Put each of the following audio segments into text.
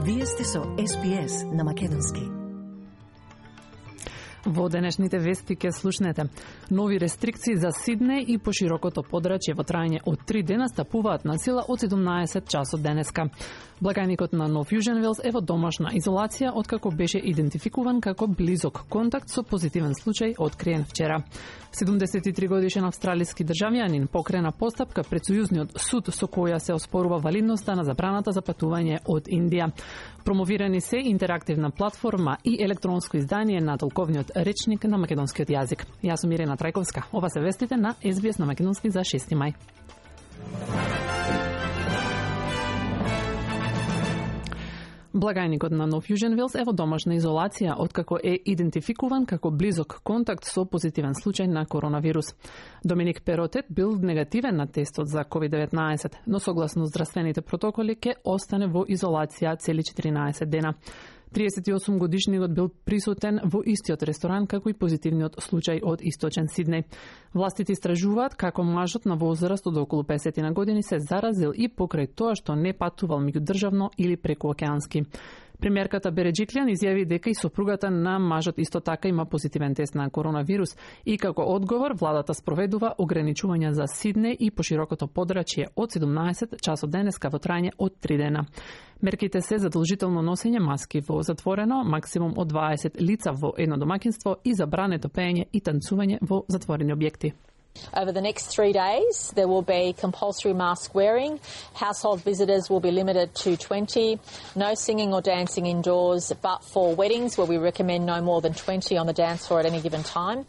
Вие сте со СПС на македонски. Во денешните вести ке слушнете. Нови рестрикции за Сиднеј и поширокото подрачје во трајање од 3 дена стапуваат на сила од 17 часот денеска. Благајникот на Нов Јужен Велс е во домашна изолација откако беше идентификуван како близок контакт со позитивен случај откриен вчера. 73 годишен австралиски државјанин покрена постапка пред Сојузниот суд со која се оспорува валидноста на забраната за патување од Индија. Промовирани се интерактивна платформа и електронско издание на толковниот речник на македонскиот јазик. Јас сум Ирена Трајковска. Ова се вестите на СБС на македонски за 6 мај. Благајникот на Нов Јужен Велс е во домашна изолација откако е идентификуван како близок контакт со позитивен случај на коронавирус. Доминик Перотет бил негативен на тестот за COVID-19, но согласно здравствените протоколи ќе остане во изолација цели 14 дена. 38 годишниот бил присутен во истиот ресторан како и позитивниот случај од Источен Сиднеј. Властите истражуваат како мажот на возраст од околу 50 години се заразил и покрај тоа што не патувал меѓудржавно или прекуокеански. Премиерката Береджиклијан изјави дека и сопругата на мажот исто така има позитивен тест на коронавирус и како одговор владата спроведува ограничувања за Сиднеј и поширокото подрачје од 17 часот денеска во трајање од 3 дена. Мерките се задолжително носење маски во затворено, максимум од 20 лица во едно домаќинство и забрането пеење и танцување во затворени објекти. Over the next 3 days, there will be compulsory mask wearing. Household visitors will be limited to 20. No singing or dancing indoors, but for weddings, where we recommend no more than 20 on the dance floor at any given time.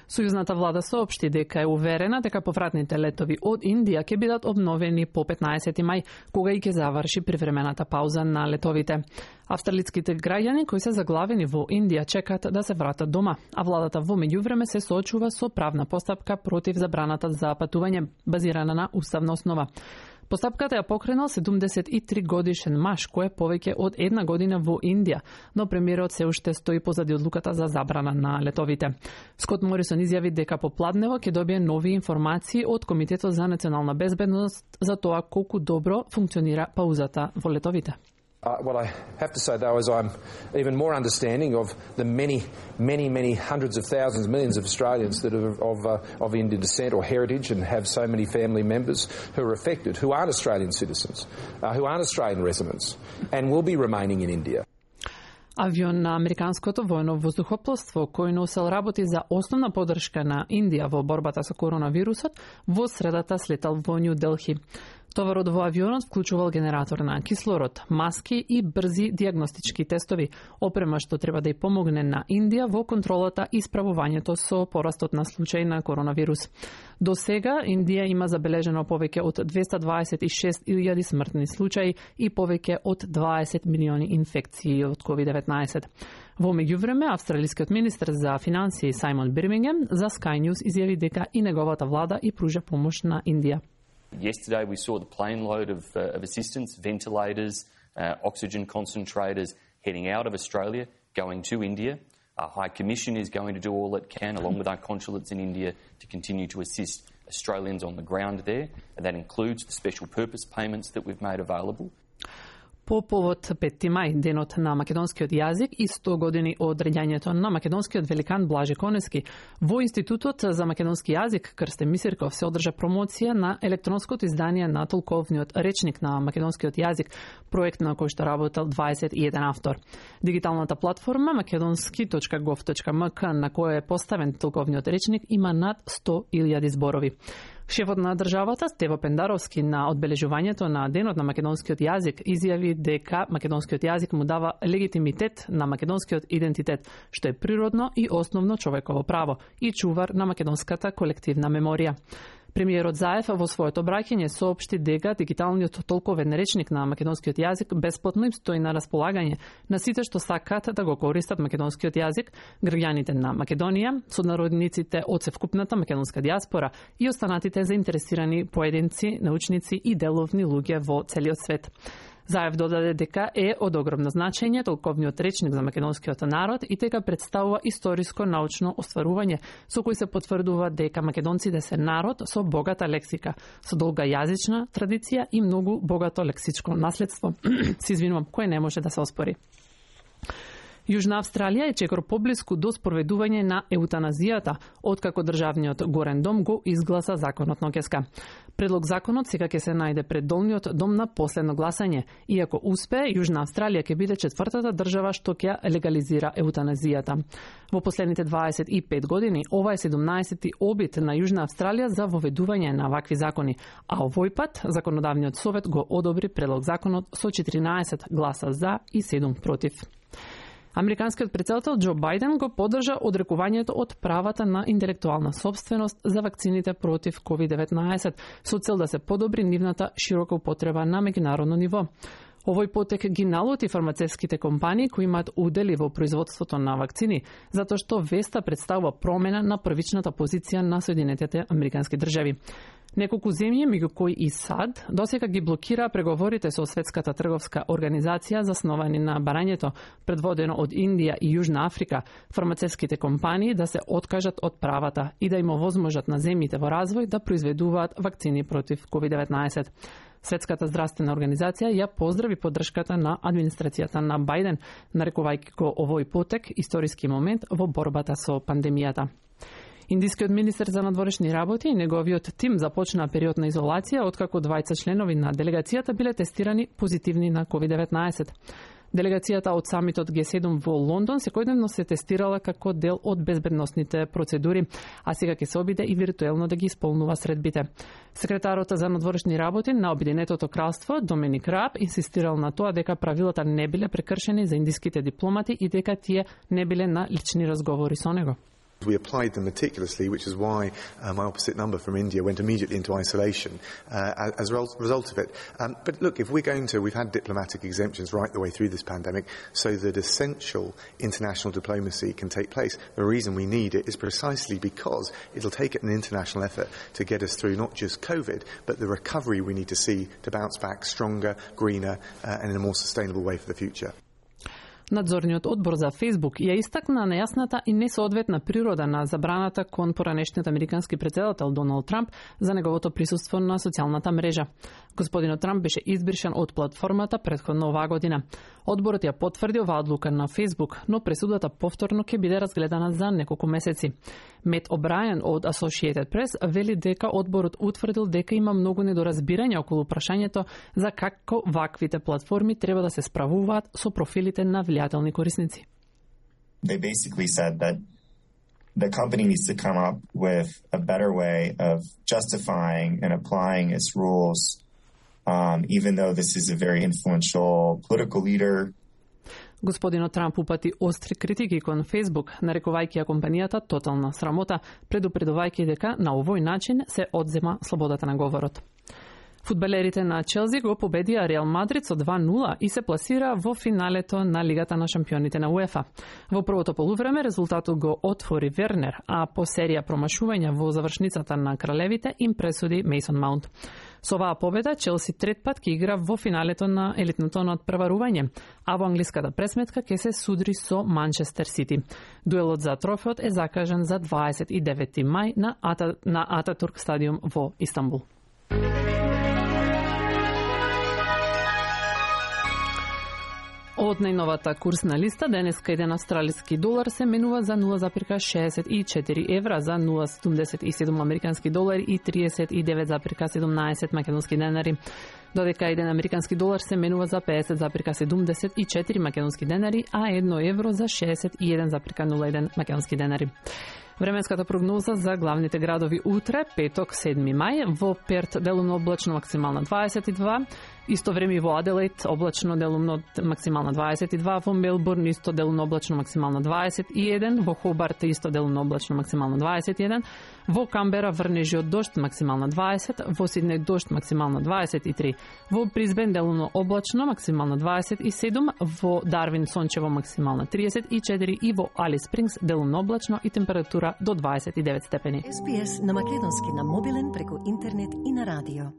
Сојузната влада соопшти дека е уверена дека повратните летови од Индија ќе бидат обновени по 15 мај, кога и ќе заврши привремената пауза на летовите. Австралиските граѓани кои се заглавени во Индија чекаат да се вратат дома, а владата во меѓувреме се соочува со правна постапка против забраната за патување базирана на уставна основа. Постапката ја покренал 73 годишен маж кој е повеќе од една година во Индија, но премиерот се уште стои позади одлуката за забрана на летовите. Скот Морисон изјави дека попладнево ќе добие нови информации од Комитетот за национална безбедност за тоа колку добро функционира паузата во летовите. What I have to say, though, is I'm even more understanding of the many hundreds of thousands, millions of Australians that are of Indian descent or heritage and have so many family members who are affected, who aren't Australian citizens, who aren't Australian residents, and will be remaining in India. Авион на Американското војно воздухопловство, кој носел работи за основна поддршка на Индија во борбата со коронавирусот, во средата слетал во Нью Делхи. Товарот во авионот вклучувал генератор на кислород, маски и брзи диагностички тестови, опрема што треба да ја помогне на Индија во контролата и справувањето со порастот на случаи на коронавирус. До сега Индија има забележено повеќе од 226.000 смртни случаи и повеќе од 20 милиони инфекции од COVID-19. Во меѓувреме, австралискиот министер за финансии Сајмон Бирмингем за Sky News изјави дека и неговата влада и пружа помош на Индија. Yesterday we saw the plane load of assistance, ventilators, oxygen concentrators heading out of Australia, going to India. Our High Commission is going to do all it can, along with our consulates in India, to continue to assist Australians on the ground there. And that includes the special purpose payments that we've made available. По повод 5 мај, денот на македонскиот јазик и 100 години од раѓањето на македонскиот великан Блаже Конески, во Институтот за македонски јазик Крстен Мисирков се одржа промоција на електронското издание на толковниот речник на македонскиот јазик, проект на кој што работел 21 автор. Дигиталната платформа makedonski.gov.mk на која е поставен толковниот речник има над 100.000 зборови. Шефот на државата Стево Пендаровски на одбележувањето на денот на македонскиот јазик изјави дека македонскиот јазик му дава легитимитет на македонскиот идентитет, што е природно и основно човеково право и чувар на македонската колективна меморија. Премиерот Заев во своето обраќање соопшти дека дигиталниот толковен речник на македонскиот јазик бесплатно им стои на располагање на сите што сакаат да го користат македонскиот јазик, граѓаните на Македонија, соднародниците од севкупната македонска дијаспора и останатите заинтересирани поединци, научници и деловни луѓе во целиот свет. Заев додаде дека е од огромно значење толковниот речник за македонскиот народ и дека представува историско научно остварување со кој се потврдува дека македонците се народ со богата лексика, со долга јазична традиција и многу богато лексичко наследство. Се извинувам, кој не може да се оспори. Јужна Австралија е чекор поблиску до спроведување на еутаназијата, откако државниот горен дом го изгласа законот ноќеска. Предлог законот сега ќе се најде пред долниот дом на последно гласање, и ако успее, Јужна Австралија ќе биде четвртата држава што ќе легализира еутаназијата. Во последните 25 години, ова е 17-ти обид на Јужна Австралија за воведување на вакви закони, а овој пат законодавниот совет го одобри предлог законот со 14 гласа за и 7 против. Американскиот претседател Џо Бајден го поддржа одрекувањето од правата на интелектуална сопственост за вакцините против COVID-19 со цел да се подобри нивната широка употреба на меѓународно ниво. Овој потек ги налути фармацевските компании кои имаат удели во производството на вакцини, затоа што веста представува промена на првичната позиција на Соединетите Американски држави. Неколку земји, меѓу кои и САД, досега ги блокира преговорите со Светската трговска организација засновани на барањето, предводено од Индија и Јужна Африка, фармацевските компании да се откажат од правата и да им овозможат на земјите во развој да произведуваат вакцини против COVID-19. Светската здравствена организација ја поздрави поддршката на администрацијата на Бајден, нарекувајќи го овој потек историски момент во борбата со пандемијата. Индискиот министер за надворешни работи и неговиот тим започнаа период на изолација откако двајца членови на делегацијата биле тестирани позитивни на COVID-19. Делегацијата од самитот Г7 во Лондон секојдневно се тестирала како дел од безбедносните процедури, а сега ќе се обиде и виртуелно да ги исполнува средбите. Секретарот за надворешни работи на Обединетото кралство Доминик Раб инсистирал на тоа дека правилата не биле прекршени за индиските дипломати и дека тие не биле на лични разговори со него. We applied them meticulously, which is why my opposite number from India went immediately into isolation as a result of it. But look, if we've had diplomatic exemptions right the way through this pandemic so that essential international diplomacy can take place. The reason we need it is precisely because it'll take an international effort to get us through not just COVID, but the recovery we need to see to bounce back stronger, greener, and in a more sustainable way for the future. Надзорниот одбор за Facebook ја истакна нејасната и несоодветна природа на забраната кон поранешниот американски претседател Доналд Трамп за неговото присуство на социјалната мрежа. Господинот Трамп беше избришан од платформата претходно оваа година. Одборот ја потврди оваа одлука на Facebook, но пресудата повторно ќе биде разгледана за неколку месеци. Мет О'Брајен од Associated Press вели дека одборот утврдил дека има многу недоразбирање околу прашањето за како ваквите платформи треба да се справуваат со профилите на влијателни корисници. They basically said that the company needs to come up with a better way of justifying and applying its rules, even though this is a very influential political leader. Господинот Трамп упати остри критики кон Facebook, нарекувајќи ја компанијата тотална срамота, предупредувајќи дека на овој начин се одзема слободата на говорот. Фудбалерите на Челси го победија Реал Мадрид со 2-0 и се пласира во финалето на Лигата на шампионите на УЕФА. Во првото полувреме резултатот го отвори Вернер, а по серија промашувања во завршницата на кралевите им пресуди Мейсон Маунт. Со оваа победа Челси трет пат ќе игра во финалето на елитното надпреварување, а во англиската пресметка ќе се судри со Манчестер Сити. Дуелот за трофеот е закажан за 29 мај на Ататурк стадиум во Истанбул. Од најновата курсна листа, денеска еден австралиски долар се менува за 0,64 евра, за 0,77 американски долари и 39,17 македонски денари. Додека еден американски долар се менува за 50,74 македонски денари, а 1 евро за 61,01 македонски денари. Временската прогноза за главните градови утре, петок, 7 мај, во Перт делумно облачно максимална 22, исто време во Аделаид облачно делумно максимална 22, во Мелбурн исто делумно облачно максимална 21, во Хобарт исто делумно облачно максимална 21, во Камбера врнежи од дожд максимална 20, во Сиднеј дожд максимална 23, во Бризбен делумно облачно максимална 27, во Дарвин сончево максимална 34 и во Алис Спрингс делумно облачно и температура до 29 степени. SBS на македонски на мобилен преку интернет и на радио.